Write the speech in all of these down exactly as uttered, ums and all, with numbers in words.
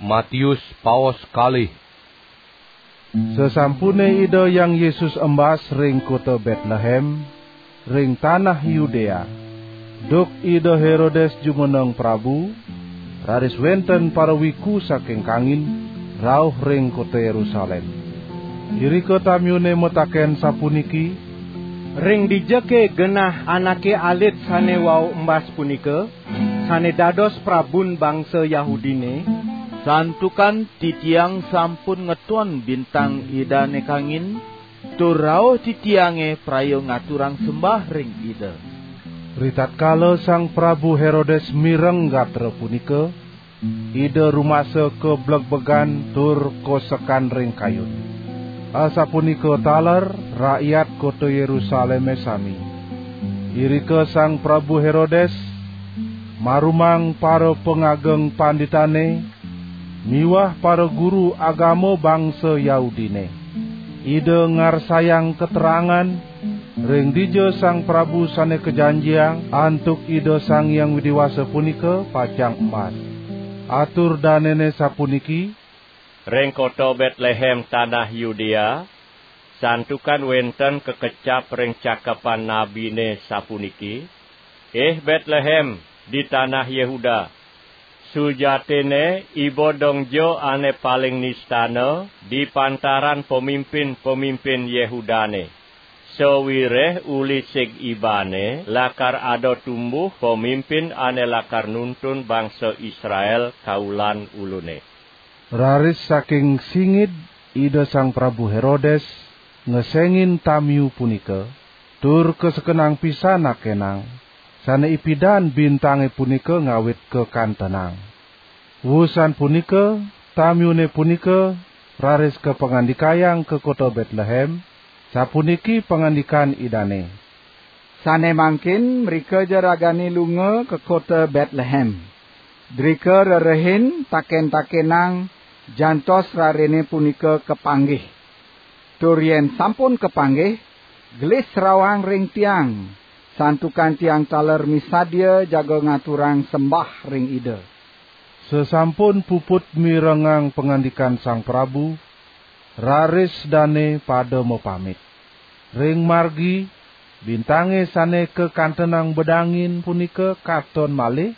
Matius paos kalih. Sasampune Ida Hyang Yesus embas ring kota Betlehem, ring tanah Yudea, duk Ida Herodes jumeneng prabu, raris wenten parawiku saking kangin rauh ring kota Yerusalem. Irika tamiune mataken sapuniki, "Ring dijake genah anake alit sane wau embas punika, sane dados prabun bangsa Yahudine?" "Santukan titiang sampun ngeton bintang Idane kangin, tur rauh titiange praya ngaturang sembah ring Ida." Ritatkala Sang Prabu Herodes mireng gatra punika, ida rumasa kablegbegan tur kosekan ring kayun. Asapunika taler rakyat kota Yerusaleme sami. Irika Sang Prabu Herodes marumang para pangageng panditane miwah para guru agama bangsa Yahudine. Ida ngarsayang keterangan ring dija Sang Prabu sane kajanjiang antuk Ida Sang Hyang Widi Wasa punika pacang embas. Atur danene sapuniki, "Ring kota Betlehem tanah Yudea, santukan wenten kakecap ring cakepan nabine sapuniki, 'Ih Betlehem, di tanah Yehuda, sujatine iba dongja ane paling nistana di pantaran pamimpin-pamimpin Yehudane. Sawireh uli sig ibane lakar ada tumbuh pamimpin ane lakar nuntun bangsa Israel kaulan ulune.'" Raris saking singid Ida Sang Prabu Herodes ngesengin tamiu punika, tur kasekenang pisan nakenang, sane ipidan bintange punika ngawit kakantenang. Wusan punika, tamiune punika raris kapangandikayang ka kota Betlehem, sapuniki pangandikan Idane, "Sane mangkin mrika ja ragane lunga ka kota Betlehem. Drika rerehin taken-takenang jantos rarene punika kapanggih. Tur yen sampun kapanggih, gelis rawang ring tiang, santukan tiang taler misadia jaga ngaturang sembah ring Ida." Sasampun puput mirengang pangandikan Sang Prabu, raris dane pada mapamit. Ring margi, bintange sane kakantenang bedangin punika katon malih,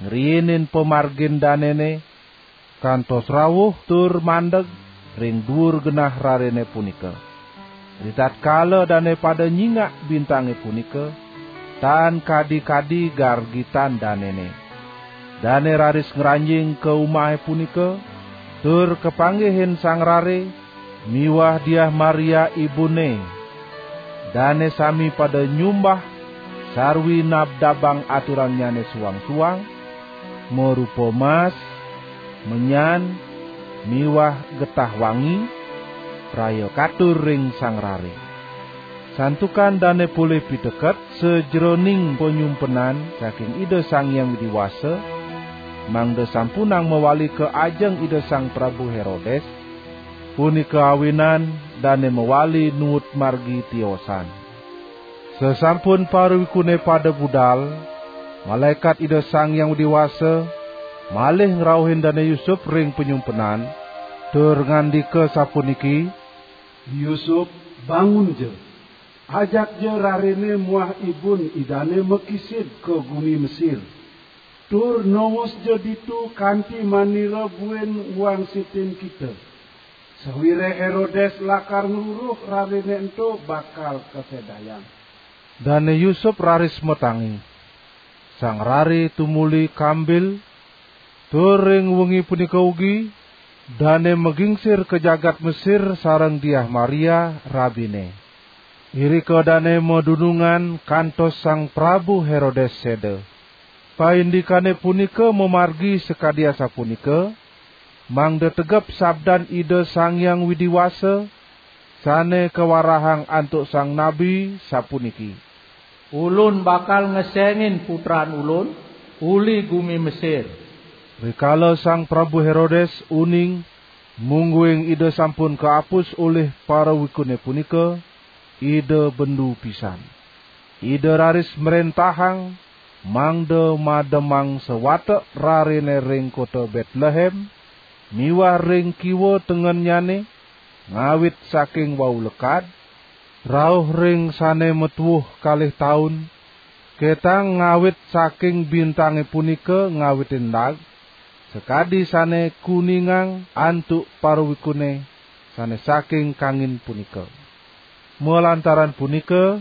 ngriinin pamargin danene, kantos rauh tur mandeg ring duur genah rarene punika. Ritatkala dane pada nyingak bintange punika, tan kadi-kadi gargitan danene. Dane raris ngranjing ka umahe punika, tur kapanggihin sang rare miwah Diah Maria ibune. Dane sami pada nyumbah sarwi nabdabang aturannyane suang-suang, marupa mas, menyan, miwah getah wangi, praya katur ring sang rare. Santukan dane polih piteket sajeroning panyumpenan saking Ida Sang Hyang Widi Wasa, mangda sampunang mawali ka ajeng Ida Sang Prabu Herodes, punika awinan dane mawali nuut margi tiosan. Sasampun parawikune pada budal, malaekat Ida Sang Hyang Widi Wasa malih ngrauhin Dane Yusup ring panyumpenan, tur ngandika sapuniki, "Yusup, bangunja. Ajakja rarene muah ibun idane makisid ka gumi Mesir. Tur nongosja ditu kanti manira buin ngwangsitin kita. Sawireh Herodes lakar ngruruh rarene ento bakal kasedayang." Dane Yusup raris matangi. Sang rare tumuli kambil, tur ring wengi punika ugi, dane magingsir ka jagat Mesir sareng Diah Maria, rabine. Irika dane madunungan kantos Sang Prabu Herodes seda. Paindikane punika mamargi sakadi asapunika, mangda tegep sabdan Ida Sang Hyang Widi Wasa, sane kawarahang antuk sang nabi, sapuniki, "Ulun bakal ngesengin putran Ulun uli gumi Mesir." Rikala Sang Prabu Herodes uning, mungguing Ida sampun kaapus ulih parawikune punika, Ida bendu pisan. Ida raris mrentahang, mangda mademang sawatek rarene ring kota Betlehem, miwah ring kiwa tengennyane, ngawit saking wau lekad, rauh ring sane matuuh kalih taun, ketang ngawit saking bintange punika ngawitin dag, sakadi sane kuningang antuk parawikune sane saking kangin punika. Malantaran punika,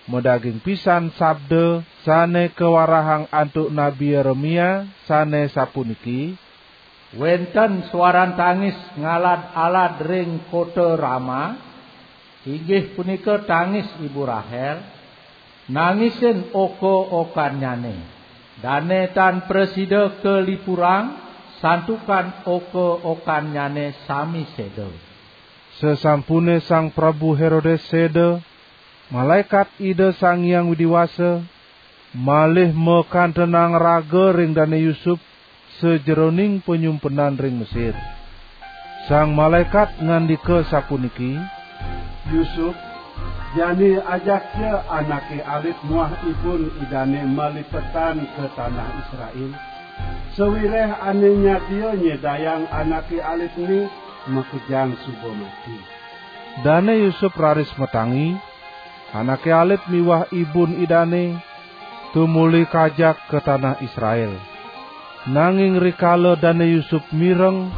madaging pisan sabda sane kawarahang antuk Nabi Yeremia sane sapuniki, "Wenten suaran tangis ngalad-alad ring kota Rama, inggih punika tangis ibu Rahel, nangisin oka-okannyane. Dane tan prasida kalipurang, santukan oka-okannyane sami seda." Sasampune Sang Prabu Herodes seda, malaikat Ida Sang Hyang Widi Wasa malih makantenang raga ring Dane Yusup sajeroning panyumpenan ring Mesir. Sang malaikat ngandika sapuniki, "Yusup, jani ajakja anake alit muah ibun idane malipetan ka tanah Israel. Sawireh ane nyadia nyedayang anake alitne makejang suba mati." Dane Yusup raris matangi, anake alit miwah ibun idane tumuli kajak ka tanah Israel. Nanging rikala Dane Yusup mireng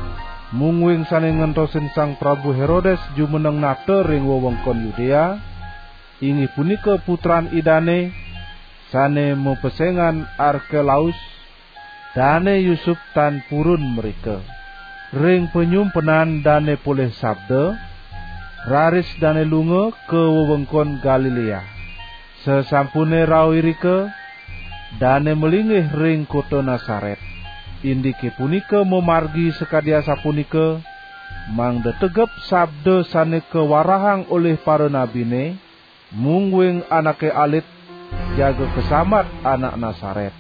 mungguing sane ngentosin Sang Prabu Herodes jumeneng nata ring wewengkon Yudea, inggih punika putran idane sane mapesengan Arkelaus, Dane Yusup tan purun mrika. Ring panyumpenan dane polih sabda, raris dane lunga ka wewengkon Galilea. Sasampune rauh irika, dane malinggih ring kota Nasaret. Indike punika mamargi sakadi asapunika, mangda tegep sabda sane kawarahang olih paranabine, mungguing anake alit jaga kasambat anak Nasaret.